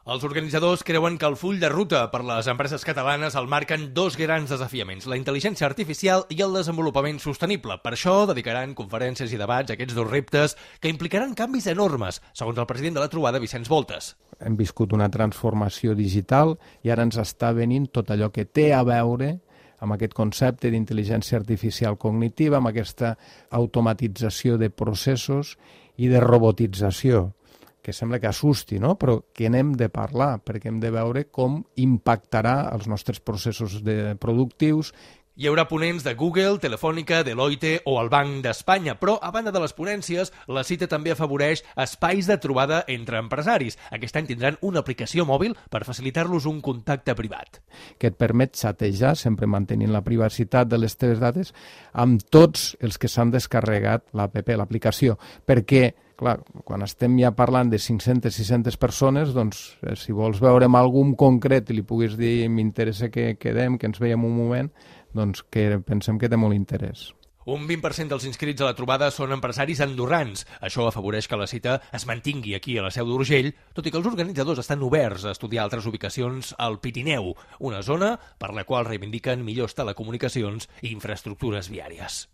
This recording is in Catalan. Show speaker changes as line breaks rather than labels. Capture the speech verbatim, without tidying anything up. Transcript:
Els organitzadors creuen que el full de ruta per les empreses catalanes el marquen dos grans desafiaments, la intel·ligència artificial i el desenvolupament sostenible. Per això dedicaran conferències i debats a aquests dos reptes que implicaran canvis enormes, segons el president de la trobada, Vicenç Voltes.
Hem viscut una transformació digital i ara ens està venint tot allò que té a veure amb aquest concepte d'intel·ligència artificial cognitiva, amb aquesta automatització de processos i de robotització, que sembla que assusti, no? Però que n'hem de parlar, perquè hem de veure com impactarà els nostres processos de productius.
Hi haurà ponents de Google, Telefònica, Deloitte o el Banc d'Espanya, però a banda de les ponències, la cita també afavoreix espais de trobada entre empresaris. Aquest any tindran una aplicació mòbil per facilitar-los un contacte privat.
Que et permet xatejar, sempre mantenint la privacitat de les teves dades, amb tots els que s'han descarregat l'app, l'aplicació, perquè clar, quan estem ja parlant de cinc-centes, sis-centes persones, doncs, eh, si vols veure amb algun concret i li puguis dir m'interessa que quedem, que ens veiem un moment, doncs que pensem que té molt interès.
Un vint per cent dels inscrits a la trobada són empresaris andorrans. Això afavoreix que la cita es mantingui aquí a la Seu d'Urgell, tot i que els organitzadors estan oberts a estudiar altres ubicacions al Pirineu, una zona per la qual reivindiquen millors telecomunicacions i infraestructures viàries.